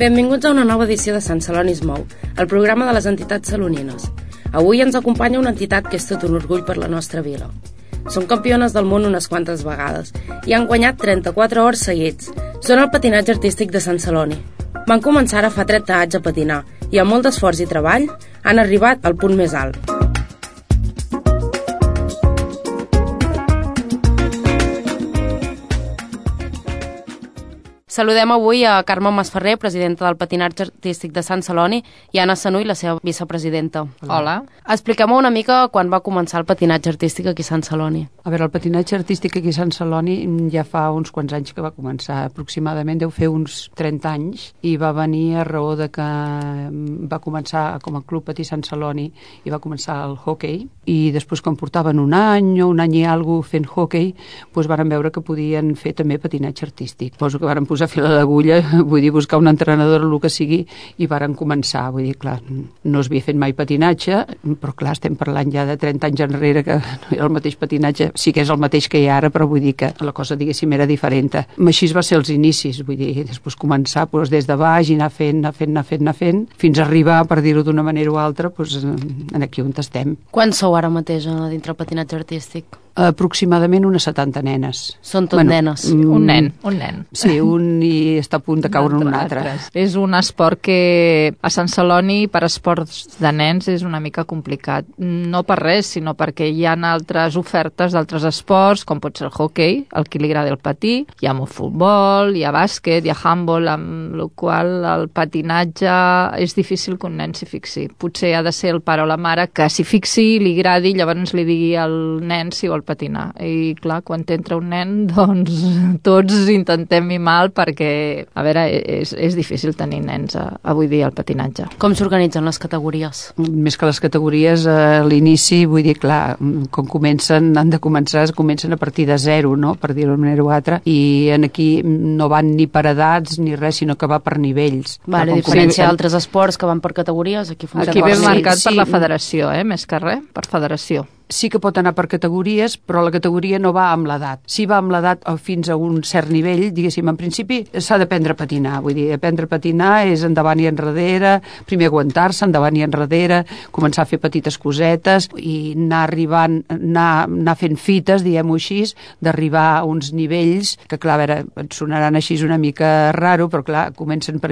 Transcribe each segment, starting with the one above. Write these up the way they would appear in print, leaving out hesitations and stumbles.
Benvinguts a una nova edició de Sant Celoni es mou, el programa de les entitats salonines. Avui ens acompanya una entitat que és tot un orgull per la nostra vila. Són campiones del món unes quantes vegades i han guanyat 34 hores seguits. Són el patinatge artístic de Sant Celoni. Van començar ara fa 30 anys a patinar i amb molt d'esforç i treball han arribat al punt més alt. Saludem avui a Carme Masferrer, presidenta del Patinatge Artístic de Sant Celoni, i Anna Sanuy, la seva vicepresidenta. Hola. Expliquem una mica quan va començar el patinatge artístic aquí a Sant Celoni. A veure, el patinatge artístic aquí a Sant Celoni ja fa uns quants anys que va començar, aproximadament deu fer uns 30 anys, i va venir a raó de que va començar com a Club Patí Sant Celoni i va començar el hoquei, i després quan portaven un any o un any i alguna fent hoquei, doncs varen veure que podien fer també patinatge artístic. Suposo que varen posar fil a l'agulla, vull dir, buscar un entrenador o el que sigui, i varen començar. Vull dir, clar, no es havia fet mai patinatge, però clar, estem parlant ja de 30 anys enrere que no era el mateix patinatge, sí que és el mateix que hi ha ara, però vull dir que la cosa, diguéssim, era diferent. Així va ser els inicis, vull dir, després començar doncs, des de baix i anar fent, fins a arribar, per dir-ho d'una manera o altra, doncs, aquí on estem. Quants sou ara mateix dintre el patinatge artístic? Aproximadament unes 70 nenes. Són tot nenes. Un nen. Sí, un i està a punt de caure un altre. És un esport que a Sant Celoni per esports de nens és una mica complicat. No per res, sinó perquè hi ha altres ofertes d'altres esports, com pot ser el hoquei, el que li agrada el patí, hi ha futbol, hi ha bàsquet, hi ha handball, amb la qual el patinatge és difícil que un nen s'hi fixi. Potser ha de ser el pare o la mare que s'hi fixi, li agradi, llavors li digui al nen si vol patinar. I clar, quan t'entra un nen, doncs tots intentem mimar perquè, a veure, és difícil tenir nens avui dia al patinatge. Com s'organitzen les categories? Més que les categories, a l'inici, vull dir, clar, com comencen a partir de zero, no?, per dir-ho d'una manera o altra, i aquí no van ni per edats ni res, sinó que va per nivells. Vale, a diferència d'altres esports que van per categories, aquí funciona. Aquí ben marcat per la federació, més que res, per federació. Sí que pot anar per categories, però la categoria no va amb l'edat. Si va amb l'edat fins a un cert nivell, diguéssim, en principi s'ha d'aprendre a patinar. Vull dir, aprendre a patinar és endavant i enrere, primer aguantar-se, endavant i enrere, començar a fer petites cosetes i anar fent fites, diguem-ho així, d'arribar a uns nivells que, clar, a veure, et sonaran així una mica raro, però clar, comencen per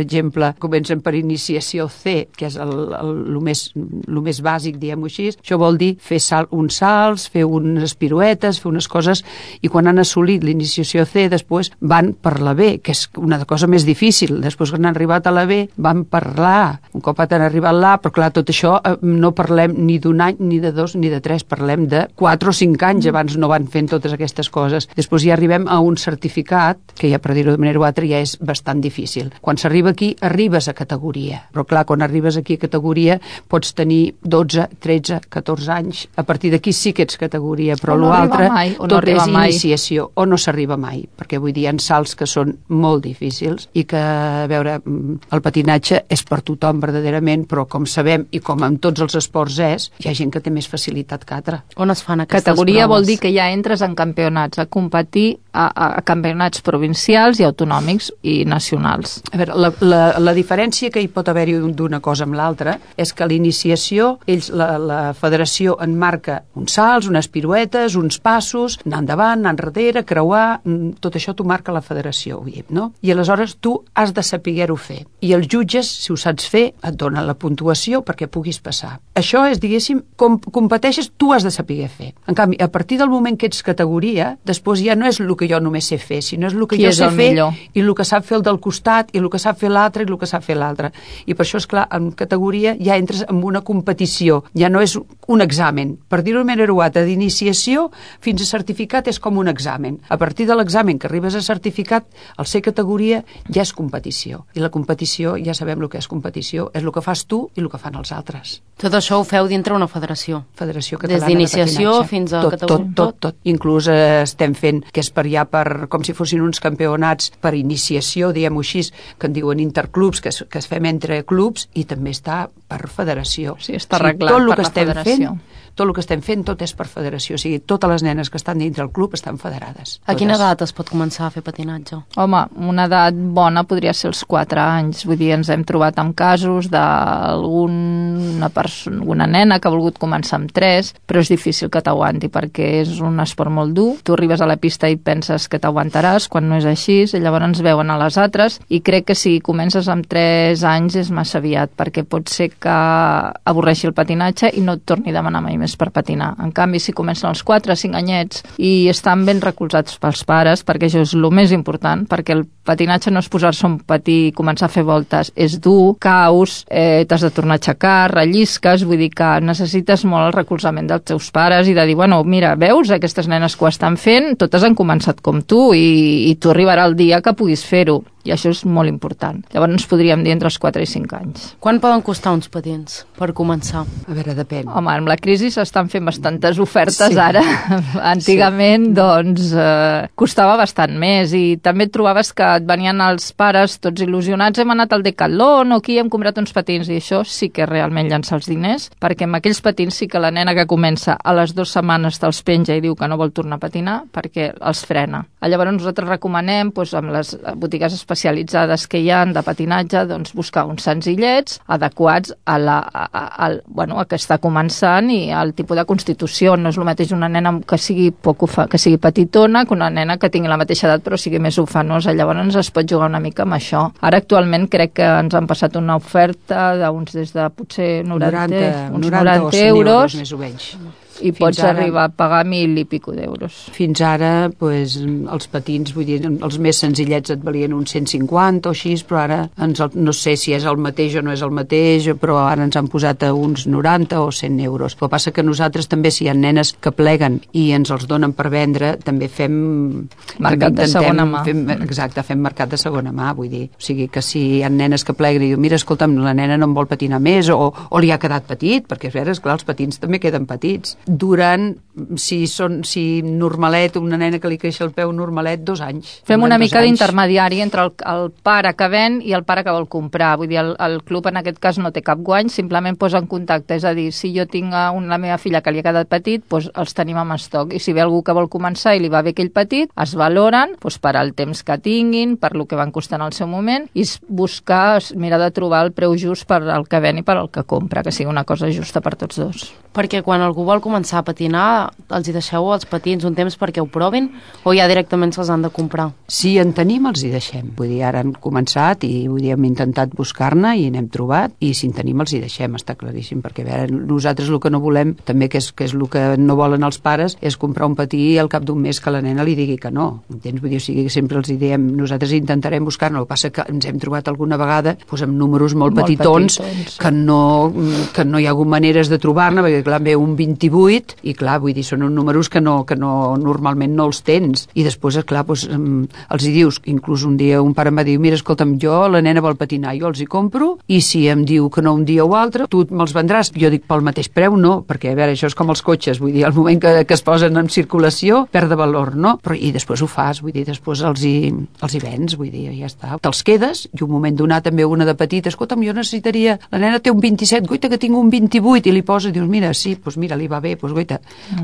iniciació C, que és el més bàsic, diguem-ho així. Això vol dir fer uns salts, fer unes piruetes, fer unes coses, i quan han assolit l'iniciació C, després van per la B, que és una cosa més difícil. Després, quan han arribat a la B, van per l'A. Un cop han arribat a l'A, però clar, tot això no parlem ni d'un any, ni de dos, ni de tres, parlem de 4 o 5 anys, abans no van fent totes aquestes coses. Després ja arribem a un certificat, que ja per dir-ho de manera o altra ja és bastant difícil. Quan s'arriba aquí, arribes a categoria. Però clar, quan arribes aquí a categoria, pots tenir 12, 13, 14 anys. A partir d'aquí sí que ets categoria, però l'altre tot és iniciació, o no s'arriba mai, perquè vull dir, hi ha salts que són molt difícils i que, a veure, el patinatge és per tothom verdaderament, però com sabem, i com en tots els esports hi ha gent que té més facilitat que altra. On es fan aquestes categoria proves? Vol dir que ja entres en campionats, a competir a campionats provincials i autonòmics i nacionals. A veure, la diferència que hi pot haver-hi d'una cosa amb l'altra és que a l'iniciació, la federació en marca uns salts, unes piruetes, uns passos, anar endavant, anar enrere, creuar, tot això t'ho marca la federació, no? I aleshores tu has de saber-ho fer. I els jutges, si ho saps fer, et donen la puntuació perquè puguis passar. Això és, diguéssim, com competeixes, tu has de saber fer. En canvi, a partir del moment que ets categoria, després ja no és el que jo només sé fer, sinó és el que jo sé fer i el que sap fer el del costat i el que sap fer l'altre i el que sap fer l'altre. I per això, és clar, en categoria ja entres en una competició, ja no és un examen. Per dir-ho d'una manera o altra, d'iniciació fins a certificat és com un examen. A partir de l'examen que arribes a certificat, al ser categoria ja és competició. I la competició, ja sabem el que és competició, és el que fas tu i el que fan els altres. Tot això ho feu dintre una federació? Federació Catalana de Patinatge. Des d'iniciació fins a categoria? Tot. Inclús estem fent, que és per allà, com si fossin uns campionats per iniciació, diguem-ho així, que en diuen interclubs, que es fem entre clubs, i també està per federació. Sí, està arreglat per la federació. Tot el que estem estem fent tot és per federació, o sigui, totes les nenes que estan dintre del club estan federades. A quina edat es pot començar a fer patinatge? Home, una edat bona podria ser els 4 anys, vull dir, ens hem trobat amb casos d'alguna nena que ha volgut començar amb 3, però és difícil que t'aguanti perquè és un esport molt dur, tu arribes a la pista i penses que t'aguantaràs quan no és així, i llavors ens veuen a les altres, i crec que si comences amb 3 anys és massa aviat, perquè pot ser que avorreixi el patinatge i no et torni a demanar mai més per patinar. En canvi, si comencen als 4 o 5 anyets i estan ben recolzats pels pares, perquè això és el més important, perquè el patinatge no és posar-se un patí i començar a fer voltes, és dur, caus, t'has de tornar a aixecar, rellisques, vull dir que necessites molt el recolzament dels teus pares i de dir, bueno, mira, veus, aquestes nenes que ho estan fent, totes han començat com tu i tu arribarà el dia que puguis fer-ho. I això és molt important. Llavors ens podríem dir entre els 4 i 5 anys. Quan poden costar uns patins per començar? A veure, depèn. Home, amb la crisi s'estan fent bastantes ofertes ara. Antigament, doncs, costava bastant més i també et trobaves que et venien els pares tots il·lusionats, hem anat al Decathlon o aquí hem comprat uns patins i això sí que realment llança els diners, perquè amb aquells patins sí que la nena que comença a les 2 setmanes te'ls penja i diu que no vol tornar a patinar perquè els frena. Llavors nosaltres recomanem, doncs, amb les botigues especialitzades que hi ha de patinatge, doncs buscar uns senzillets adequats a que està començant i al tipus de constitució. No és el mateix una nena que sigui petitona que una nena que tingui la mateixa edat però sigui més ufanosa. Llavors es pot jugar una mica amb això. Ara actualment crec que ens han passat una oferta d'uns des de potser 90 euros més o menys. I pots arribar a pagar 1.000 i pico d'euros. Fins ara, doncs, els patins, vull dir, els més senzillets et valien uns 150 o així, però ara no sé si és el mateix o no és el mateix, però ara ens han posat a uns 90 o 100 euros. El que passa que nosaltres també, si hi ha nenes que pleguen i ens els donen per vendre, també fem... Mercat de segona mà. Exacte, fem mercat de segona mà, vull dir. O sigui que si hi ha nenes que pleguen i diuen, mira, escolta'm, la nena no em vol patinar més o li ha quedat petit, perquè és clar, els patins també queden petits. Duran, si normalet, una nena que li creix el peu normalet, 2 anys. Fem una mica d'intermediari entre el pare que ven i el pare que vol comprar. Vull dir, el club en aquest cas no té cap guany, simplement posa en contacte. És a dir, si jo tinc la meva filla que li ha quedat petit, doncs els tenim en estoc. I si ve algú que vol començar i li va bé aquell petit, es valoren doncs, per al temps que tinguin, per lo que van costar en el seu moment, i buscar, mirar de trobar el preu just per al que ven i per al que compra, que sigui una cosa justa per tots dos. Perquè quan algú vol començar a patinar, els hi deixeu els patins un temps perquè ho provin o ja directament se'ls han de comprar? Si en tenim, els hi deixem. Vull dir, ara han començat i vull dir, hem intentat buscar-ne i n'hem trobat i si en tenim els hi deixem, està claríssim, perquè a veure, nosaltres el que no volem, també que és el que no volen els pares, és comprar un patí i al cap d'un mes que la nena li digui que no. Entens? Vull dir, o sigui, que sempre els hi diem, nosaltres intentarem buscar-ne, el que passa que ens hem trobat alguna vegada doncs, amb números molt petitons que no hi ha hagut maneres de trobar-ne, perquè clar, ve un 28 i clar, vull dir, són uns números que normalment no els tens i després, clar, doncs, els hi dius, inclús un dia un pare em va dir, mira, escolta'm, jo la nena vol patinar, jo els hi compro i si em diu que no un dia o altre, tu me'ls vendràs. Jo dic, pel mateix preu no, perquè a veure, això és com els cotxes, vull dir, al moment que es posen en circulació perd de valor, no? Però i després ho fas, vull dir, després els hi vens, vull dir, ja està. Te'ls quedes i un moment donat també una de petita, escolta'm, jo necessitaria, la nena té un 27, goita que tinc un 28 i li posa, dius, mira, sí, doncs mira, li va bé, doncs goita,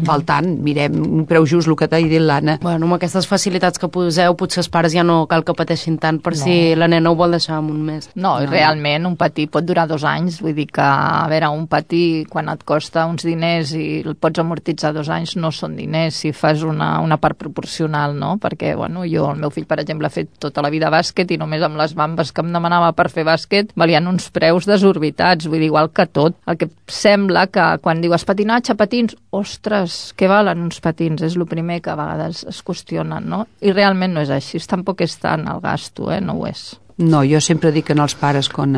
val tant, mirem un preu just, el que t'ha dit l'Anna. Bueno, amb aquestes facilitats que poseu, potser els pares ja no cal que pateixin tant per si la nena ho vol deixar en un mes. No, realment un patí pot durar 2 anys, vull dir que, a veure, un patí quan et costa uns diners i el pots amortitzar 2 anys no són diners, si fas una part proporcional, no? Perquè, bueno, el meu fill, per exemple, ha fet tota la vida bàsquet i només amb les bambes que em demanava per fer bàsquet valien uns preus desorbitats, vull dir, igual que tot. El que sembla que quan dius patinatge, patins, ostres, què valen uns patins? És el primer que a vegades es qüestionen, no? I realment no és així, tampoc és tant el gasto, no ho és. No, jo sempre dic als pares quan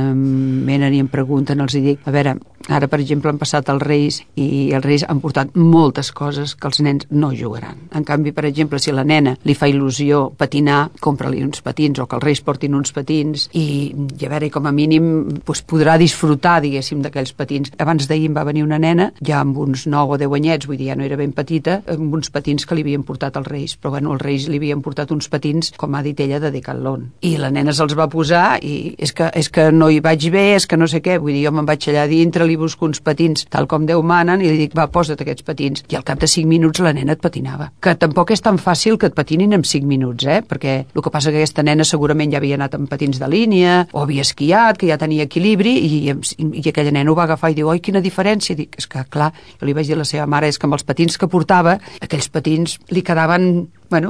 venen i em pregunten, els dic, a veure, ara per exemple han passat els Reis i els Reis han portat moltes coses que els nens no jugaran. En canvi, per exemple, si a la nena li fa il·lusió patinar, compra-li uns patins o que els Reis portin uns patins i a veure, com a mínim doncs, podrà disfrutar, diguéssim, d'aquells patins. Abans d'ahir em va venir una nena, ja amb uns 9 o 10 anyets, vull dir, ja no era ben petita, amb uns patins que li havien portat els Reis, però bueno, els Reis li havien portat uns patins, com ha dit ella, de Decathlon. I la nena se'ls va va posar i és que no hi vaig bé, és que no sé què, vull dir, jo me'n vaig allà dintre, li busco uns patins tal com Déu manen i li dic, va, posa't aquests patins. I al cap de 5 minuts la nena et patinava. Que tampoc és tan fàcil que et patinin en 5 minuts, perquè el que passa que aquesta nena segurament ja havia anat amb patins de línia o havia esquiat, que ja tenia equilibri i aquella nena ho va agafar i diu, oi, quina diferència. Dic, és que clar, jo li vaig dir a la seva mare, és que amb els patins que portava, aquells patins li quedaven, bueno,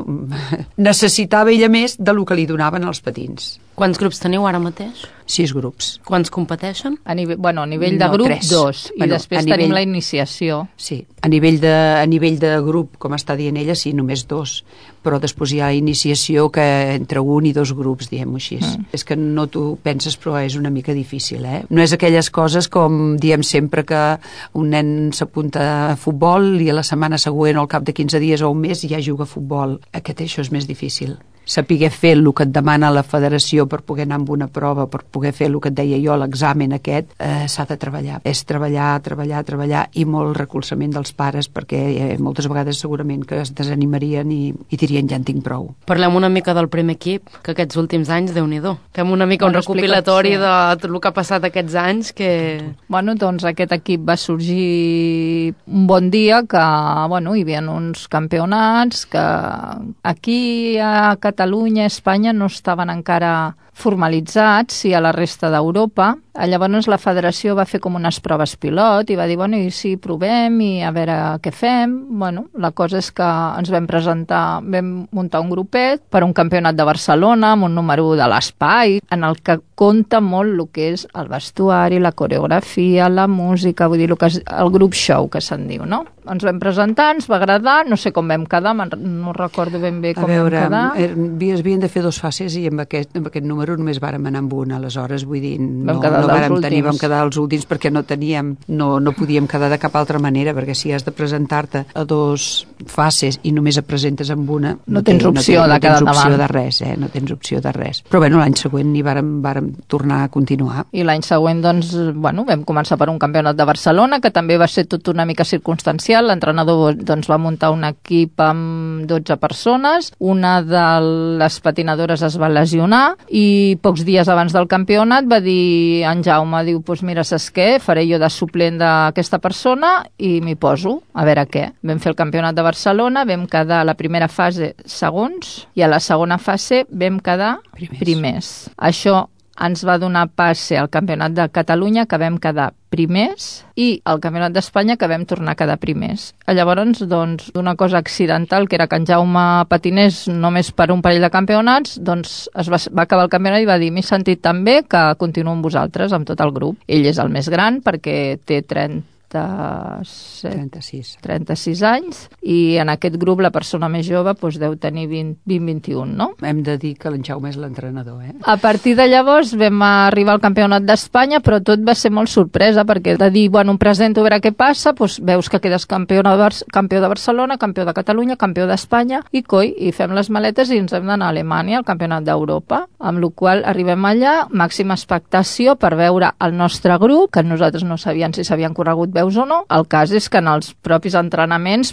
necessitava ella més del que li donaven els patins. Quants grups teniu ara mateix? 6 grups. Quants competeixen? A nivell de grup, 3. 2. I després tenim la iniciació. Sí, a nivell de grup, com està dient ella, sí, només 2. Però després hi ha iniciació que entre 1 i 2 grups, diem-ho així. És que no t'ho penses, però és una mica difícil, No és aquelles coses com diem sempre que un nen s'apunta a futbol i a la setmana següent o al cap de 15 dies o un mes ja juga a futbol. Això és més difícil. Saber fer el que et demana la federació per poder anar amb una prova, per poder fer el que et deia jo, l'examen aquest, s'ha de treballar. És treballar i molt recolzament dels pares, perquè moltes vegades segurament que es desanimarien i dirien ja en tinc prou. Parlem una mica del primer equip, que aquests últims anys, Déu-n'hi-do. Fem una mica un recopilatori de tot el que ha passat aquests anys. Bueno, doncs aquest equip va sorgir un bon dia que, hi havia uns campionats que aquí a Catalunya, Espanya no estaven encara formalitzats i a la resta d'Europa. Llavors la federació va fer com unes proves pilot i va dir, i si provem i a veure què fem. La cosa és que ens vam presentar, vam muntar un grupet per un campionat de Barcelona amb un número 1 de l'espai, en el que compta molt el que és el vestuari, la coreografia, la música, vull dir, el grup show que se'n diu, no? Ens vam presentar, ens va agradar, no sé com vam quedar, no recordo ben bé com vam quedar. Havien de fer 2 fases i amb aquest número només vàrem anar amb una, aleshores, vull dir, vam quedar els últims perquè no podíem quedar de cap altra manera, perquè si has de presentar-te a 2 fases i només et presentes amb una, no tens opció de quedar davant. No tens opció de res. Però l'any següent hi vàrem tornar a continuar. I l'any següent, doncs, vam començar per un campionat de Barcelona, que també va ser tot una mica circumstancial. L'entrenador doncs, va muntar un equip amb 12 persones, una de les patinadores es va lesionar i pocs dies abans del campionat va dir en Jaume, diu, mira, saps què? Faré jo de suplent d'aquesta persona i m'hi poso, a veure què. Vam fer el campionat de Barcelona, vam quedar a la primera fase segons i a la segona fase vam quedar primers. Això ens va donar passe al Campionat de Catalunya, que vam quedar primers, i al Campionat d'Espanya, que vam tornar a quedar primers. Llavors, doncs, d'una cosa accidental, que era que en Jaume patinés només per un parell de campionats, doncs va acabar el campionat i va dir, m'he sentit tan bé que continuo amb vosaltres, amb tot el grup. Ell és el més gran perquè té 36 anys i en aquest grup la persona més jove deu tenir 20-21, no? Hem de dir que l'en Jaume és l'entrenador, A partir de llavors vam arribar al Campionat d'Espanya, però tot va ser molt sorpresa, perquè de dir, em presento a veure què passa, veus que quedes campió de Barcelona, campió de Catalunya, campió d'Espanya, i fem les maletes i ens hem d'anar a Alemanya, al Campionat d'Europa, amb la qual arribem allà, màxima expectació per veure el nostre grup, que nosaltres no sabíem si s'havien corregut veus o no. El cas és que en els propis entrenaments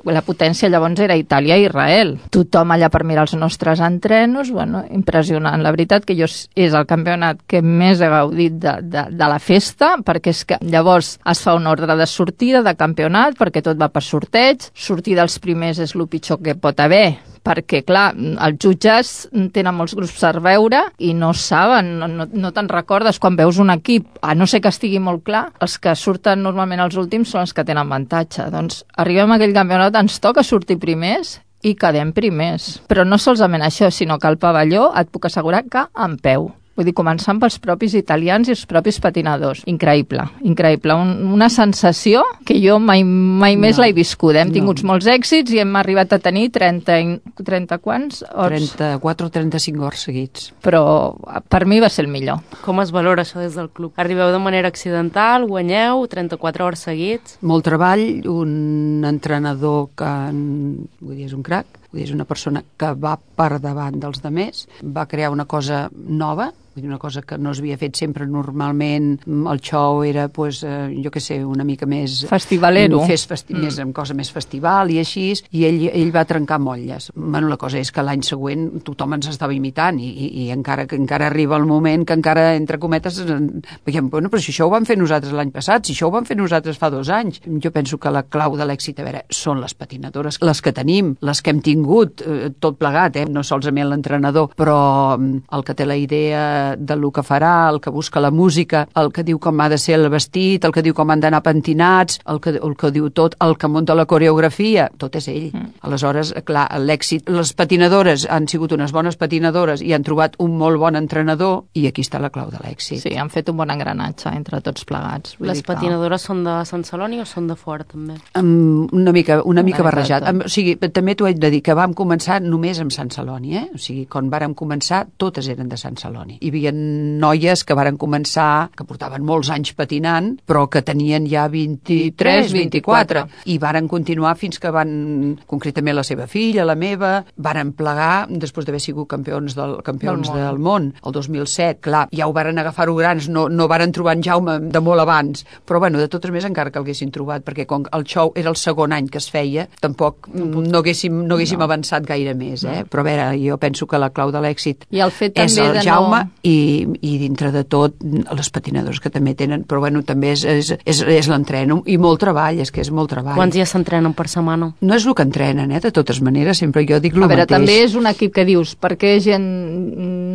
la potència llavors era Itàlia i Israel. Tothom allà per mirar els nostres entrenos, impressionant. La veritat que és el campionat que més he gaudit de la festa, perquè és que llavors es fa un ordre de sortida de campionat, perquè tot va per sorteig. Sortir dels primers és el pitjor que pot haver, perquè, clar, els jutges tenen molts grups per veure i no saben, no te'n recordes quan veus un equip, a no ser que estigui molt clar, els que surten normalment els últims són els que tenen avantatge. Doncs arribem a aquell campionat, ens toca sortir primers i quedem primers. Però no solament això, sinó que al pavelló et puc assegurar que en peu. Vull dir, començant pels propis italians i els propis patinadors. Increïble, increïble. Una sensació que jo mai més l'he viscut. Hem tingut molts èxits i hem arribat a tenir 30 quants hores? 34 o 35 hores seguits. Però per mi va ser el millor. Com es valora això des del club? Arribeu de manera accidental, guanyeu 34 hores seguits? Molt treball, un entrenador que és un crac, és una persona que va per davant dels demés, va crear una cosa nova, Vull dir, una cosa que no s'havia fet sempre normalment. El show era, pues, jo què sé, una mica més... Festivalero. Més amb cosa més festival i així, i ell va trencar motlles. Bueno, la cosa és que l'any següent tothom ens estava imitant i encara arriba el moment que encara, entre cometes, veiem, bueno, però si això ho vam fer nosaltres l'any passat, si això ho vam fer nosaltres fa 2 anys. Jo penso que la clau de l'èxit, a veure, són les patinadores, les que tenim, les que hem tingut, tot plegat, no solament l'entrenador, però el que té la idea de lo que farà, el que busca la música, el que diu com ha de ser el vestit, el que diu com han d'anar pentinats, el que diu tot, el que munta la coreografia, tot és ell. Aleshores, clar, l'èxit, les patinadores han sigut unes bones patinadores i han trobat un molt bon entrenador, i aquí està la clau de l'èxit. Sí, han fet un bon engranatge entre tots plegats. Les patinadores són de Sant Celoni o són de fora, també? Una mica barrejat. O sigui, també t'ho haig de dir que vam començar només amb Sant Celoni, O sigui, quan vàrem començar, totes eren de Sant Celoni. Hi havia noies que varen començar, que portaven molts anys patinant, però que tenien ja 23, 24, i varen continuar fins que van, concretament la seva filla, la meva, varen plegar, després d'haver sigut campions del món, el 2007. Clar, ja ho varen agafar-ho grans, no varen trobar en Jaume de molt abans, però bueno, de totes més encara que l'haguessin trobat, perquè com el show era el segon any que es feia, tampoc no haguéssim avançat gaire més, Però a veure, jo penso que la clau de l'èxit és el Jaume i dintre de tot les patinadors que també tenen, però bueno, també és l'entreno i molt treball, és que és molt treball. Quants dies s'entrenen per setmana? No és el que entrenen, de totes maneres, sempre jo dic el mateix. A veure, també és un equip que dius, perquè gent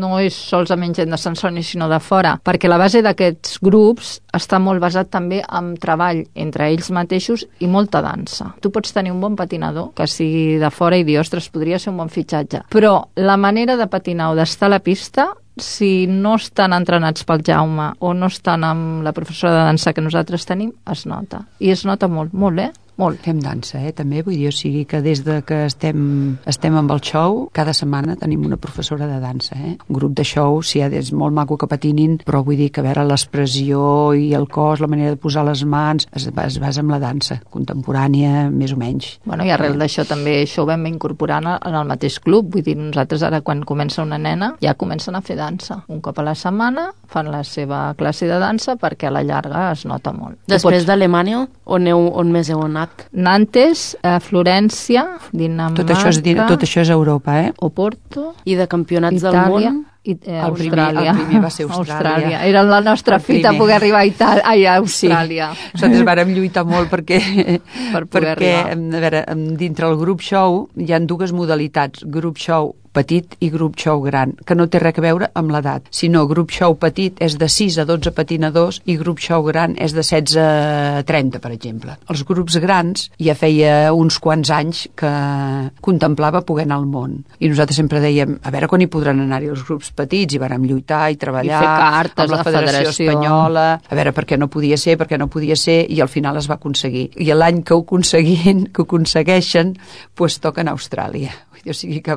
no és solament gent de Sant Celoni, sinó de fora, perquè la base d'aquests grups està molt basat també en treball entre ells mateixos i molta dansa. Tu pots tenir un bon patinador que sigui de fora i dir, ostres, podria ser un bon fitxatge, però la manera de patinar o d'estar a la pista, si no estan entrenats pel Jaume o no estan amb la professora de dansa que nosaltres tenim, es nota. I es nota molt, molt, molt. Fem dansa, també, vull dir, o sigui que des de que estem amb el show, cada setmana tenim una professora de dansa, Un grup de show, sí, és molt maco que patinin, però vull dir que a veure l'expressió i el cos, la manera de posar les mans, es basa en la dansa contemporània, més o menys. Bueno, i arrel d'això també això ho vam incorporar en el mateix club, vull dir, nosaltres ara quan comença una nena ja comencen a fer dansa. Un cop a la setmana fan la seva classe de dansa perquè a la llarga es nota molt. Després d'Alemanya, on més heu anat? Nantes, Florència, Dinamarca... Tot això és Europa, Oporto... I de campionats Itàlia, del món? Austràlia. El primer va ser Austràlia. Era la nostra fita poder arribar a Austràlia. Sí. Nosaltres vàrem lluitar molt perquè arribar. A veure, dintre el grup show hi ha 2 modalitats, grup show petit i grup show gran, que no té res a veure amb l'edat, sinó grup show petit és de 6 a 12 patinadors i grup show gran és de 16 a 30, per exemple. Els grups grans ja feia uns quants anys que contemplava poder anar al món. I nosaltres sempre dèiem, a veure quan hi podran anar-hi els grups petits, i vàrem lluitar i treballar i fer cartes amb la Federació Espanyola, a veure per què no podia ser, i al final es va aconseguir. I l'any que ho aconsegueixen, doncs toquen a Austràlia. O sigui que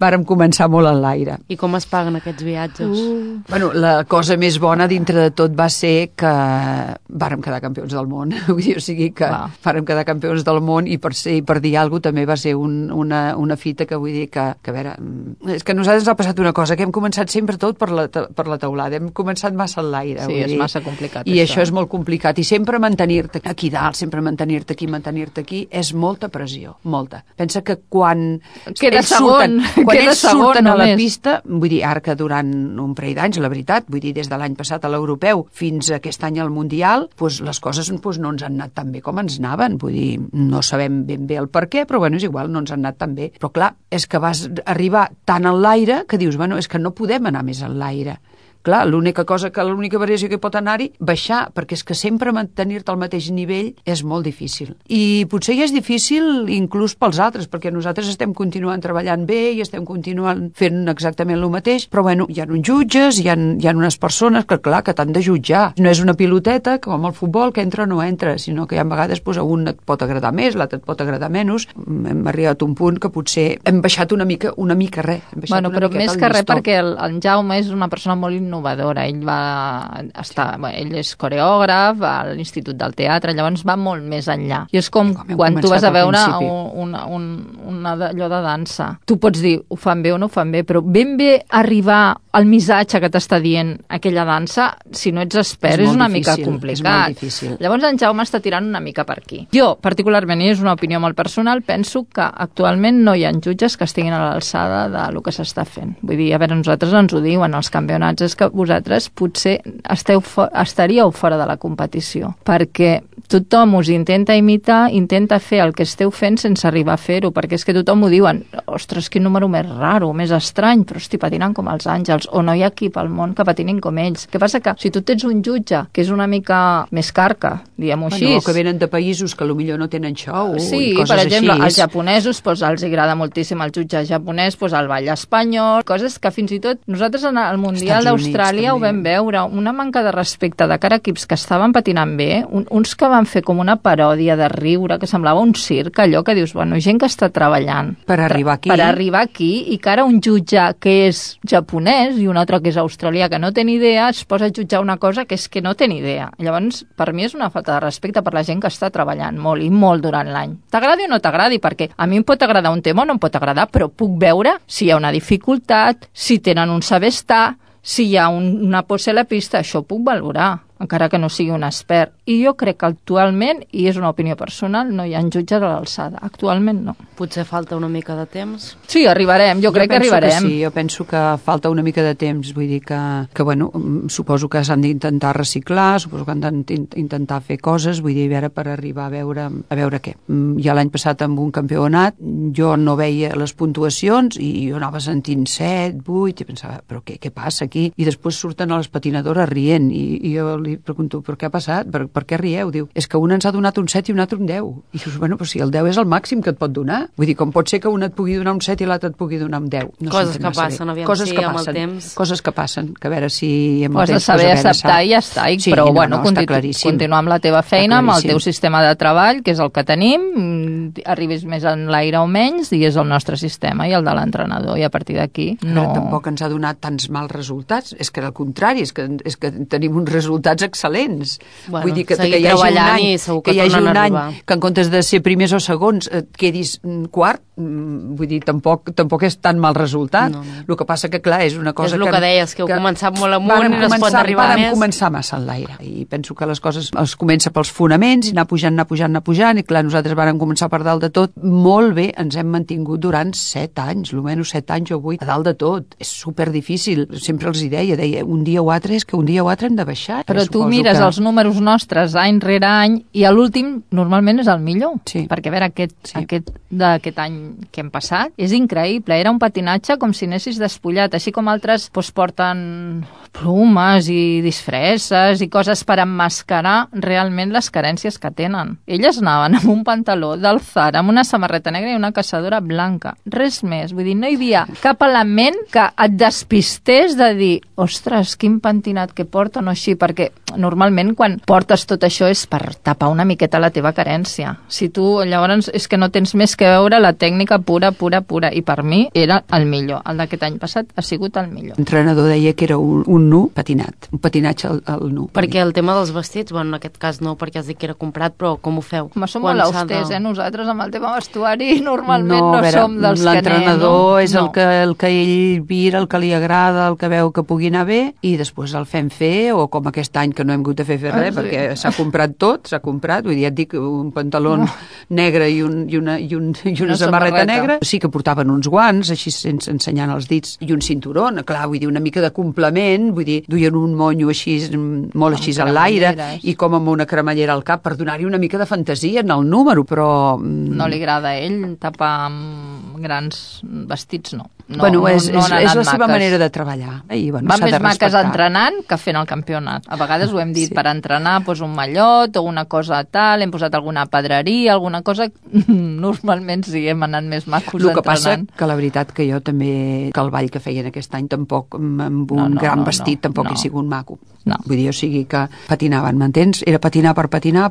vàrem començar molt en l'aire. I com es paguen aquests viatges? Bueno, la cosa més bona dintre de tot va ser que vàrem quedar campions del món. O sigui que vàrem quedar campions del món i per dir alguna cosa també va ser una fita que vull dir que a veure, és que a nosaltres ens ha passat una cosa, que hem començat sempre tot per la teulada, hem començat massa en l'aire. Sí, és massa complicat. I això és molt complicat. I sempre mantenir-te aquí dalt, sempre mantenir-te aquí, és molta pressió, molta. Pensa que quan queda segon surten a la pista, vull dir, ara que durant un parell d'anys, la veritat, vull dir, des de l'any passat a l'europeu fins a aquest any al mundial, doncs les coses no ens han anat tan bé com ens anaven, vull dir, no sabem ben bé el per què, però bueno, és igual, no ens han anat tan bé. Però clar, és que vas arribar tant en l'aire que dius, bueno, és que no podem anar més en l'aire. Clar, l'única variació que pot anar-hi, baixar, perquè és que sempre mantenir-te al mateix nivell és molt difícil. I potser ja és difícil inclús pels altres, perquè nosaltres estem continuant treballant bé i estem continuant fent exactament el mateix, però bueno, hi ha uns jutges, hi ha unes persones que clar, que t'han de jutjar. No és una piloteta com el futbol, que entra o no entra, sinó que hi ha vegades a un et pot agradar més, l'altre et pot agradar menys. Hem arribat a un punt que potser hem baixat una mica res. Bueno, però més que res perquè el Jaume és una persona molt innovadora. Ell ell és coreògraf a l'Institut del Teatre, llavors va molt més enllà. I és com quan tu vas a veure allò de dansa. Tu pots dir, ho fan bé o no ho fan bé, però ben bé arribar al missatge que t'està dient aquella dansa, si no ets expert, és una mica complicat. Llavors en Jaume està tirant una mica per aquí. Jo, particularment, i és una opinió molt personal, penso que actualment no hi ha jutges que estiguin a l'alçada del que s'està fent. Vull dir, a veure, nosaltres ens ho diuen els campionats, és que vosaltres potser estaríeu fora de la competició, perquè tothom us intenta imitar, intenta fer el que esteu fent sense arribar a fer-ho, perquè és que tothom ho diuen, ostres, quin número més raro, més estrany, però hosti, patinen com els àngels, o no hi ha equip al món que patinin com ells. Què passa? Que si tu tens un jutge que és una mica més carca, diguem-ho així... O que venen de països que potser no tenen xou sí, i coses per exemple, així. Els japonesos els agrada moltíssim el jutge japonès, el ball espanyol, coses que fins i tot nosaltres en el Mundial d'Austràlia ho vam veure, una manca de respecte de cara a equips que estaven patinant bé, uns que van fer com una paròdia de riure, que semblava un circ, allò que dius, bueno, gent que està treballant per arribar aquí i que ara un jutge que és japonès i un altre que és australià que no té ni idea es posa a jutjar una cosa que és que no té ni idea. Llavors, per mi és una falta de respecte per la gent que està treballant molt i molt durant l'any. T'agradi o no t'agradi, perquè a mi em pot agradar un tema o no em pot agradar, però puc veure si hi ha una dificultat, si tenen un saber estar, si hi ha una posa a la pista, això ho puc valorar, encara que no sigui un expert. I jo crec que actualment, i és una opinió personal, no hi ha jutges a l'alçada. Actualment no. Potser falta una mica de temps? Sí, arribarem, jo crec que arribarem. Sí, jo penso que falta una mica de temps, vull dir que bueno, suposo que s'han d'intentar reciclar, suposo que han d'intentar fer coses, vull dir, a veure, per arribar a veure què. Ja l'any passat amb un campionat, jo no veia les puntuacions i jo anava sentint 7, 8, i pensava, però què passa aquí? I després surten a les patinadores rient, i jo li pregunto, però què ha passat? Per què rieu? Diu, és que un ens ha donat un 7 i un altre un 10. I dius, bueno, però si el 10 és el màxim que et pot donar. Vull dir, com pot ser que un et pugui donar un 7 i l'altre et pugui donar un 10? No coses que passen, aviam, amb el temps. Coses que passen, que a veure si amb el temps... Has de saber acceptar i ja està. Sí, però, bueno, continuar amb la teva feina, amb el teu sistema de treball, que és el que tenim, arribis més en l'aire o menys, i és el nostre sistema i el de l'entrenador, i a partir d'aquí no... Tampoc ens ha donat tants mals resultats, és que al contrari, és que tenim uns resultats excel·lents. Bueno, vull dir que hi hagi un any que en comptes de ser primers o segons et quedis quart, vull dir, tampoc és tan mal resultat. No. El que passa que, clar, és una cosa que... És el que deies, que heu començat molt amunt i no es pot arribar més. Vam començar massa en l'aire, i penso que les coses es comença pels fonaments i anar pujant, i clar, nosaltres vàrem començar per dalt de tot. Molt bé, ens hem mantingut durant 7 anys, almenys 7 anys o 8, a dalt de tot. És superdifícil. Sempre els hi deia, un dia o altre és que un dia o altre hem de baixar. Però tu mires els números nostres any rere any i l'últim normalment és el millor. Sí. Perquè a veure, d'aquest any que hem passat és increïble. Era un patinatge com si anessis despullat. Així com altres porten plomes i disfresses i coses per emmascarar realment les carències que tenen. Elles anaven amb un pantaló del Zara, amb una samarreta negra i una caçadora blanca. Res més. Vull dir, no hi havia cap element que et despistés de dir, ostres, quin pentinat que porten o així, perquè normalment quan portes tot això és per tapar una miqueta la teva carència. Si tu, llavors, és que no tens més que veure la tècnica pura, i per mi era el millor. El d'aquest any passat ha sigut el millor. L'entrenador deia que era un nu patinat, un patinatge al nu. Perquè el tema dels vestits, bueno, en aquest cas no, perquè has dit que era comprat, però com ho feu? Som molt austers, nosaltres amb el tema vestuari normalment no som dels que anem. L'entrenador és el que ell mira, el que li agrada, el que veu que pugui anar bé, i després el fem fer, o com aquest any que no hem hagut de fer res, perquè s'ha comprat tot, vull dir, et dic, un pantaló negre i una samarreta negra. Sí que portaven uns guants, així sense ensenyant els dits, i un cinturó, clar, vull dir, una mica de complement, vull dir, duien un monyo així, molt així a l'aire, i com amb una cremallera al cap, per donar-hi una mica de fantasia en el número, però... No li agrada a ell tapar amb grans vestits, no. Bueno, és la seva manera de treballar. Van més maques entrenant que fent el campionat. A vegades ho hem dit, per entrenar un mallot o una cosa tal, hem posat alguna pedreria, alguna cosa... Normalment sí, hem anat més macos entrenant. El que passa que la veritat que jo també, que el ball que feien aquest any tampoc, amb un gran vestit, tampoc he sigut maco. Vull dir, o sigui que patinaven, m'entens? Era patinar per patinar,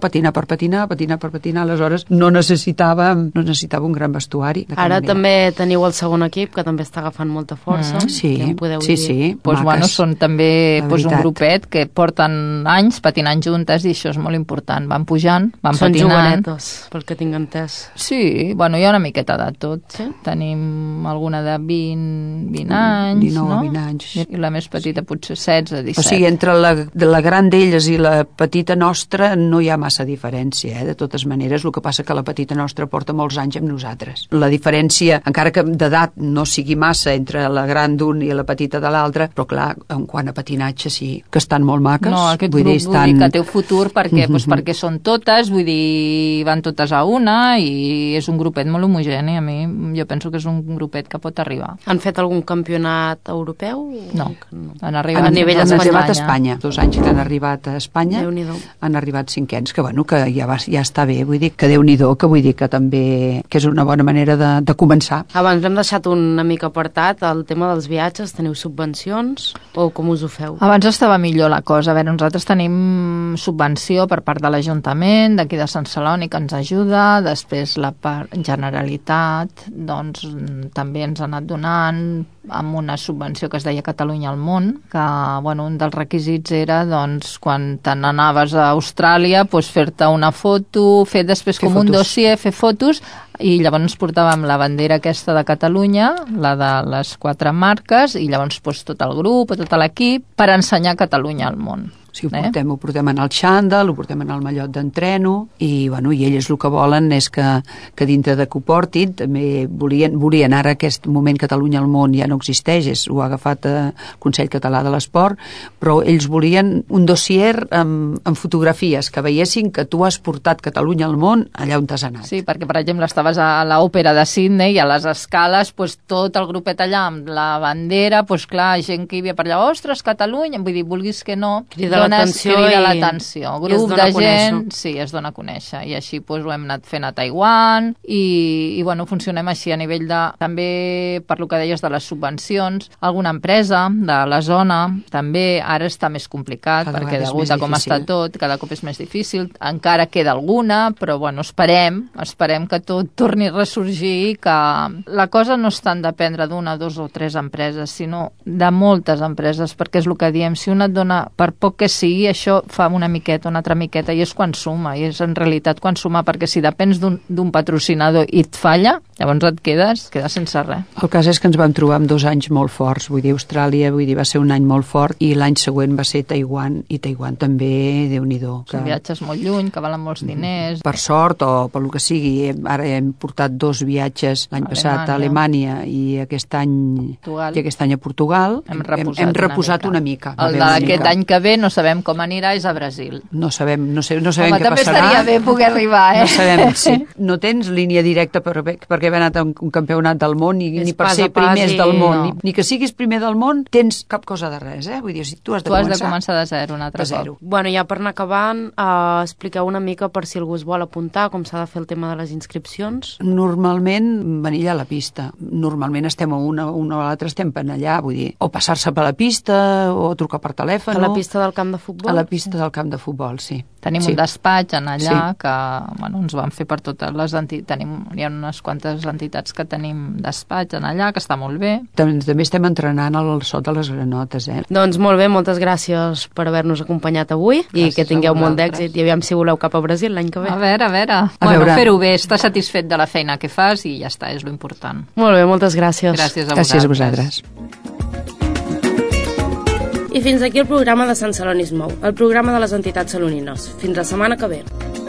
aleshores no necessitava un gran vestuari. Ara també també teniu el segon equip, que també està agafant molta força. Sí, que en podeu sí, dir. sí. Pues, bueno, són també la pues, un veritat. grupet que porten anys patinant juntes i això és molt important. Van pujant, van Són patinant. jovenetes, pel que tinc entès. Sí, bueno, hi ha una miqueta de tot. Sí? Tenim alguna de 20 anys, 19 no? 20 anys. I la més petita potser 16, 17. O sigui, entre la gran d'elles i la petita nostra no hi ha massa diferència, de totes maneres. El que passa que la petita nostra porta molts anys amb nosaltres. La diferència, encara que d'edat no sigui massa entre la gran d'un i la petita de l'altra, però clar, en quant a patinatge sí que estan molt maques. No, aquest vull grup dir, vull dir que té futur perquè, doncs, perquè són totes, vull dir, van totes a una i és un grupet molt homogeni. A mi jo penso que és un grupet que pot arribar. Han fet algun campionat europeu? No, No. han arribat, A nivell han espanyol. arribat a Espanya. 2 anys que han arribat a Espanya, Déu-n'hi-do. han arribat 5ens, que bueno, que ja està bé, vull dir que Déu-n'hi-do, que vull dir que també que és una bona manera de començar. Abans hem deixat una mica apartat el tema dels viatges. Teniu subvencions o com us ho feu? Abans estava millor la cosa. A veure, nosaltres tenim subvenció per part de l'Ajuntament, d'aquí de Sant Celoni, que ens ajuda. Després la part Generalitat, doncs, també ens ha anat donant amb una subvenció que es deia Catalunya al món, que, bueno, un dels requisits era, doncs, quan te n'anaves a Austràlia, doncs, fer-te una foto, fer després Fer com un fotos. dossier, fer fotos, i llavors ens portàvem la bandera aquesta de Catalunya, la de les 4 marques, i llavors doncs, tot el grup o tot l'equip per ensenyar Catalunya al món. Si ho portem en el xandall, ho portem en el mallot d'entreno i, bueno, i elles el que volen és que dintre de que ho portin, també volien ara aquest moment Catalunya al món ja no existeix, ho ha agafat el Consell Català de l'Esport, però ells volien un dossier amb fotografies que veiessin que tu has portat Catalunya al món allà on t'has anat. Sí, perquè, per exemple, estaves a l'òpera de Sydney i a les escales, doncs, tot el grupet allà amb la bandera, doncs clar, gent que hi havia per allà, ostres, Catalunya, vull dir, vulguis que no, Crida l'atenció grup de gent, sí, es dona a conèixer, i així doncs, ho hem anat fent a Taiwan i bueno, funcionem així a nivell de, també per lo que deies de les subvencions, alguna empresa de la zona, també ara està més complicat, Cada perquè vegada és degut més a com difícil. està tot, cada cop és més difícil, encara queda alguna, però bueno, esperem que tot torni a ressorgir, que la cosa no és tant dependre d'una, 2 o 3 empreses, sinó de moltes empreses, perquè és el que diem, si una et dona, per poc que sigui, això fa una miqueta, una altra miqueta, i és quan suma, i és en realitat quan suma, perquè si depens d'un patrocinador i et falla, llavors et quedes sense res. El cas és que ens vam trobar amb 2 anys molt forts, vull dir, Austràlia, va ser un any molt fort, i l'any següent va ser Taiwan, i Taiwan també, Déu-n'hi-do. Són viatges molt lluny, que valen molts diners. Per sort o per lo que sigui, ara hem portat 2 viatges l'any passat a Alemanya i aquest any a Portugal. Hem reposat una mica. El d'aquest any que ve no sabem com anirà, és a Brasil. No sabem Home, què passarà. també estaria bé poder arribar, No sabem, sí. No tens línia directa perquè haver anat a un campionat del món ni per ser primers del món, ni que siguis primer del món, tens cap cosa de res, vull dir, tu has de començar de zero un altre cop. Bueno, ja per anar acabant, expliqueu una mica per si algú es vol apuntar, com s'ha de fer el tema de les inscripcions. Normalment venir allà a la pista. Normalment estem a una o a l'altra estem per allà, vull dir, o passar-se per la pista o trucar per telèfon. A la pista del camp de futbol? A la pista del camp de futbol, sí. Tenim un despatx en allà que ens van fer per totes les entitats. Hi ha unes quantes entitats que tenim despatx en allà, que està molt bé. També estem entrenant al sot de les granotes, Doncs molt bé, moltes gràcies per haver-nos acompanyat avui i que tingueu molt d'èxit i aviam si voleu cap a Brasil l'any que ve. A veure. Bueno, fer-ho bé, estar satisfet de la feina que fas i ja està, és l'important. Molt bé, moltes gràcies. Gràcies a vosaltres. I fins aquí el programa de Sant Celoni es mou, el programa de les entitats salonines. Fins la setmana que ve.